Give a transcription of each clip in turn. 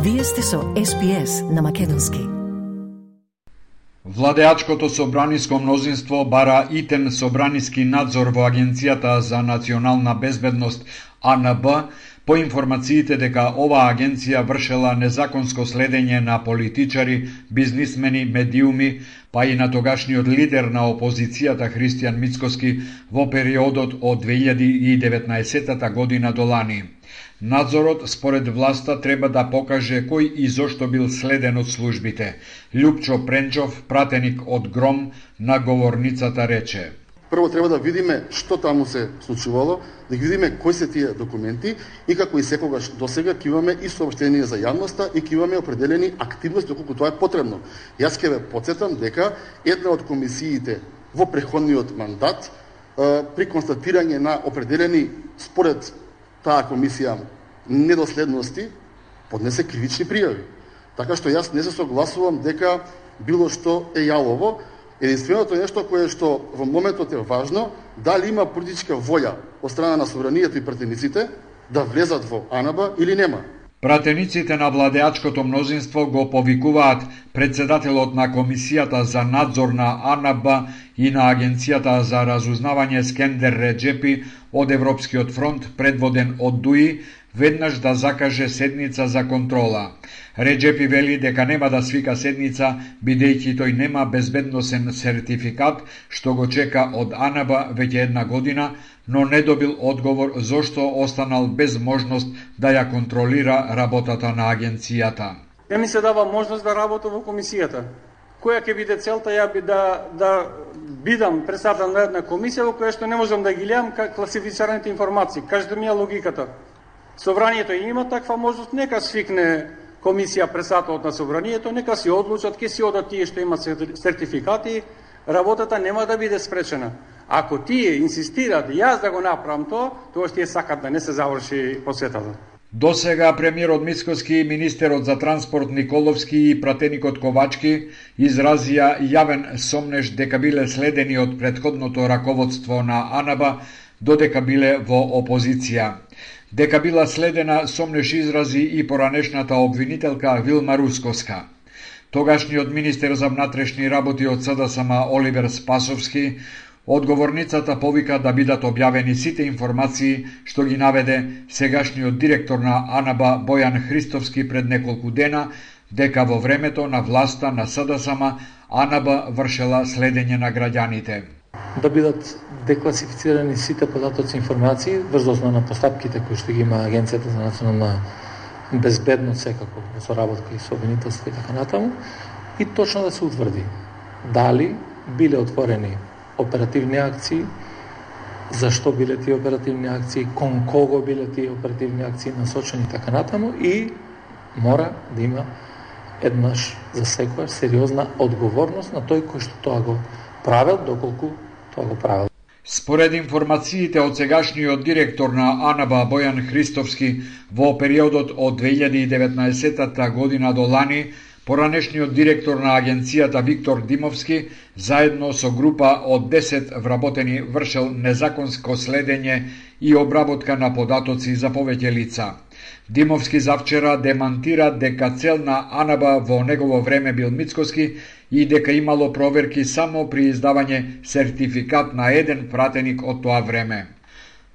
Вие сте со SPS на македонски. Владеачкото собраниско мнозинство бара итен собраниски надзор во Агенцијата за национална безбедност АНБ по информациите дека оваа агенција вршела незаконско следење на политичари, бизнисмени, медиуми, па и на тогашниот лидер на опозицијата Христијан Мицкоски во периодот од 2019 година до лани. Надзорот, според власта, треба да покаже кој и зошто бил следен од службите. Лјупчо Пренчов, пратеник од Гром, на говорницата рече: Прво треба да видиме што таму се случувало, да ги видиме кои се тие документи и како и секогаш досега ќе имаме и соопштение за јавноста и ќе имаме определени активности доколку тоа е потребно. Јас ќе ве потсетам дека една од комисиите во претходниот мандат при констатирање на определени според таа комисија недоследности поднесе кривични пријави. Така што јас не се согласувам дека било што е јалово. Единственото нешто кое што во моментот е важно, дали има политичка волја од страна на собранието и пратениците да влезат во АНБ или нема. Пратениците на владеачкото мнозинство го повикуваат председателот на Комисијата за надзор на АНБ и на Агенцијата за разузнавање Скендер Реджепи од Европскиот фронт, предводен од ДУИ, веднаш да закаже седница за контрола. Реджепи вели дека нема да свика седница, бидејќи тој нема безбедносен сертификат, што го чека од АНБ веќе една година, но не добил одговор зошто останал без можност да ја контролира работата на агенцијата. Не ми се дава можност да работам во комисијата. Која ќе биде целта ја би да бидам председател на една комисија во која што не можам да ги гледам класифицираните информации. Кажете ми ја логиката. Собранието има таква можност, нека свикне комисија председателот на собранието, нека си одлучат, ќе си одат тие што имат сертификати, работата нема да биде спречена. Ако тие инсистираат јас да го направам тоа што тие сакат да не се заврши посетата. Досега премиерот Мицкоски и министерот за транспорт Николовски и пратеникот Ковачки изразија јавен сомнеж дека биле следени од претходното раководство на АНБ додека биле во опозиција. Дека била следена сомнеж изрази и поранешната обвинителка Вилма Рускоска. Тогашниот министер за внатрешни работи од СДСМ Оливер Спасовски одговорницата повика да бидат објавени сите информации што ги наведе сегашниот директор на АНБ Бојан Христовски пред неколку дена, дека во времето на власта на СДСМ АНБ вршела следење на граѓаните. Да бидат декласифицирани сите податоци и информации врз основа на постапките кои што ги има Агенцијата за национална безбедност, секако во соработка и со обвинителство и така натаму, и точно да се утврди дали биле отворени оперативни акции, зашто биле тие оперативни акции, кон кого биле тие оперативни акции насочени и така натаму, и мора да има еднаш за секоја сериозна одговорност на тој кој што тоа го правел, доколку тоа го правел. Според информациите од сегашниот директор на АНБ Бојан Христовски, во периодот од 2019 година до лани, поранешниот директор на агенцијата Виктор Димовски, заедно со група од 10 вработени, вршел незаконско следење и обработка на податоци за повеќе лица. Димовски завчера демантира дека цел на АНБ во негово време бил Мицкоски и дека имало проверки само при издавање сертификат на еден пратеник од тоа време.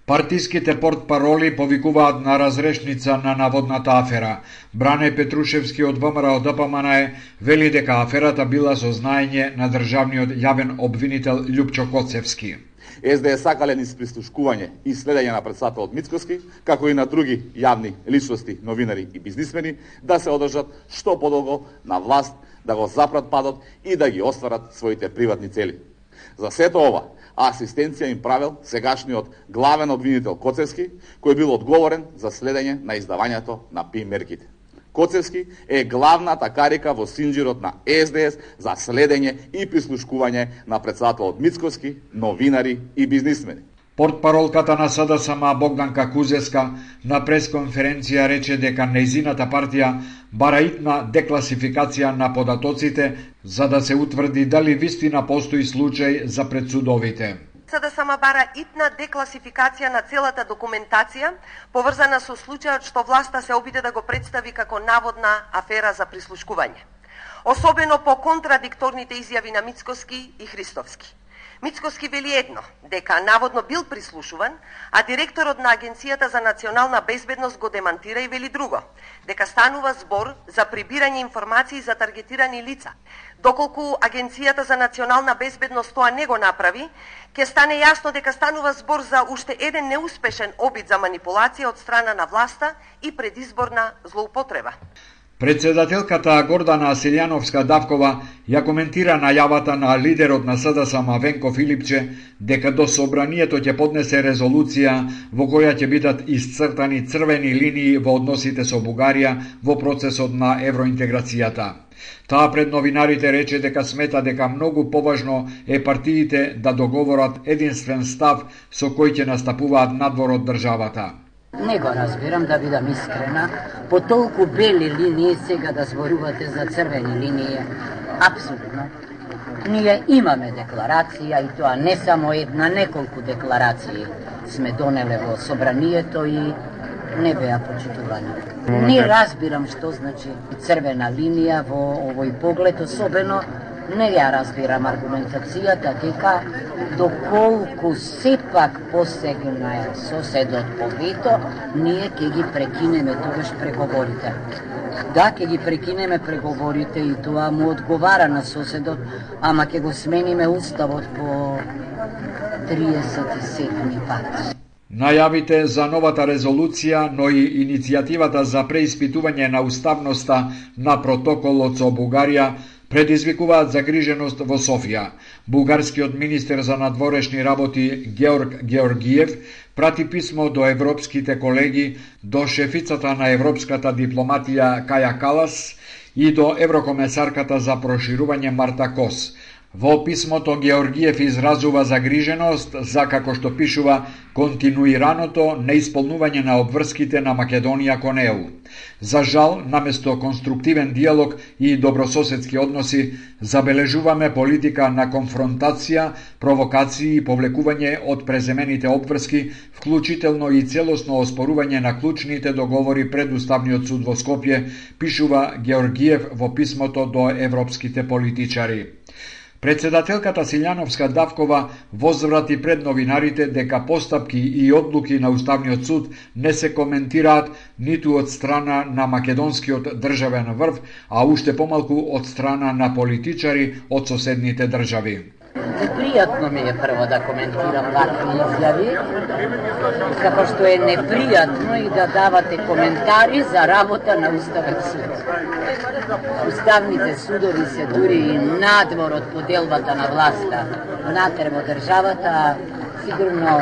Партиските портпароли повикуваат на разрешница на наводната афера. Бране Петрушевски од ВМРО ДПМН вели дека аферата била со знаење на државниот јавен обвинител Лјупчо Коцевски. СДС сакале низ прислушкување и следење на председателот Мицкоски, како и на други јавни личности, новинари и бизнисмени, да се одржат што подолго на власт, да го запрат падот и да ги остварат своите приватни цели. За сето ова, асистенција им правел сегашниот главен обвинител Коцевски, кој бил одговорен за следење на издавањето на ПИ мерките. Коцевски е главната карика во синџирот на СДС за следење и прислушкување на председателот Мицкоски, новинари и бизнисмени. Портпаролката на СДСМ Богданка Кузеска на пресконференција рече дека нејзината партија бара итна декласификација на податоците за да се утврди дали вистина постои случај за пред судовите. СДСМ бара итна декласификација на целата документација, поврзана со случајот што власта се обиде да го представи како наводна афера за прислушкување. Особено по контрадикторните изјави на Мицкоски и Христовски. Мицкоски вели едно, дека наводно бил прислушуван, а директорот на Агенцијата за национална безбедност го демантира и вели друго, дека станува збор за прибирање информации за таргетирани лица. Доколку Агенцијата за национална безбедност тоа не го направи, ќе стане јасно дека станува збор за уште еден неуспешен обид за манипулација од страна на власта и предизборна злоупотреба. Председателката Гордана Силјановска-Давкова ја коментира најавата на лидерот на СДСМ Венко Филипче дека до собранието ќе поднесе резолуција во која ќе бидат исцртани црвени линии во односите со Бугарија во процесот на евроинтеграцијата. Таа пред новинарите рече дека смета дека многу поважно е партиите да договорат единствен став со кој ќе настапуваат надвор од државата. Не го разбирам, да бидам искрена, по толку бели линии сега да зборувате за црвени линии. Апсолутно. Ние имаме декларација и тоа не само една, неколку декларации сме донеле во собранието и не беа почитувани. Не разбирам што значи црвена линија во овој поглед, особено не ја разбирам аргументацијата дека доколку сепак посегна соседот по вето, ние ќе ги прекинеме тогаш преговорите. Да, ќе ги прекинеме преговорите и тоа му одговара на соседот, ама ќе го смениме уставот по 37 пат. Најавите за новата резолуција, но и иницијативата за преиспитување на уставноста на протоколот со Бугарија предизвикуваат загриженост во Софија. Бугарскиот министер за надворешни работи Георг Георгиев прати писмо до европските колеги, до шефицата на европската дипломатија Каја Калас и до еврокомесарката за проширување Марта Кос. Во писмото Георгиев изразува загриженост за, како што пишува, континуираното неисполнување на обврските на Македонија кон ЕУ. За жал, наместо конструктивен диалог и добрососедски односи, забележуваме политика на конфронтација, провокации и повлекување од преземените обврски, вклучително и целосно оспорување на клучните договори пред Уставниот суд во Скопје, пишува Георгиев во писмото до европските политичари. Председателката Силјановска-Давкова возврати пред новинарите дека постапки и одлуки на Уставниот суд не се коментираат ниту од страна на македонскиот државен врв, а уште помалку од страна на политичари од соседните држави. Непријатно ми е прво да коментирам вакви изјави, како што е непријатно и да давате коментари за работа на Уставен суд. Уставните судови се дури и надвор од поделбата на власта, внатре во државата, сигурно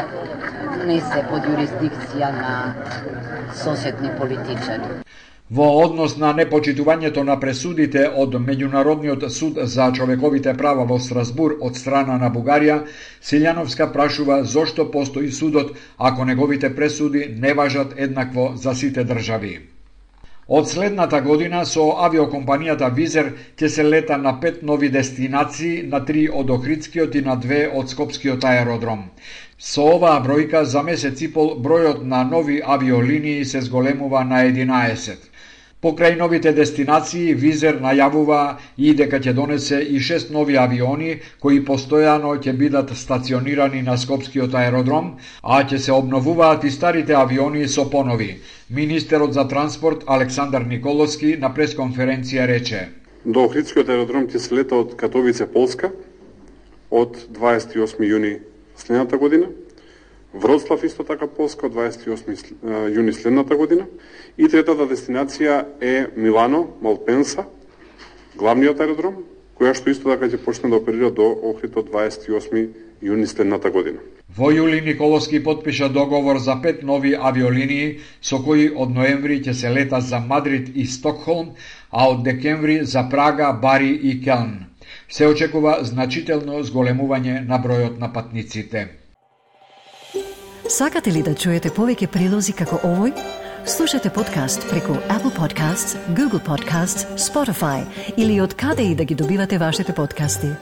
не се под юрисдикција на соседни политичари. Во однос на непочитувањето на пресудите од Меѓународниот суд за човековите права во Страсбур од страна на Бугарија, Силјановска прашува зошто постои судот ако неговите пресуди не важат еднакво за сите држави. Од следната година со авиокомпанијата Визер ќе се лета на 5 нови дестинации, на 3 од Охридскиот и на 2 од Скопскиот аеродром. Со оваа бројка за месец и пол бројот на нови авиолинии се зголемува на 11. Покрај новите дестинации, Визер најавува и дека ќе донесе и 6 нови авиони кои постојано ќе бидат стационирани на Скопскиот аеродром, а ќе се обновуваат и старите авиони со понови. Министерот за транспорт Александар Николовски на пресконференција рече: До Охридскиот аеродром ќе се лета од Катовице, Полска, од 28 јуни следната година, Вроцлав исто така Полска од 28 јуни следната година и третата дестинација е Милано, Малпенса, главниот аеродром, која што исто така ќе почне да оперира до Охрид од 28 јуни следната година. Во јули Николовски потпиша договор за 5 нови авиолинии со кои од ноември ќе се лета за Мадрид и Стокхолм, а од декември за Прага, Бари и Келн. Се очекува значително зголемување на бројот на патниците. Сакате ли да чуете повеќе прилози како овој? Слушате подкаст преку Apple Podcasts, Google Podcasts, Spotify или од каде и да ги добивате вашите подкасти.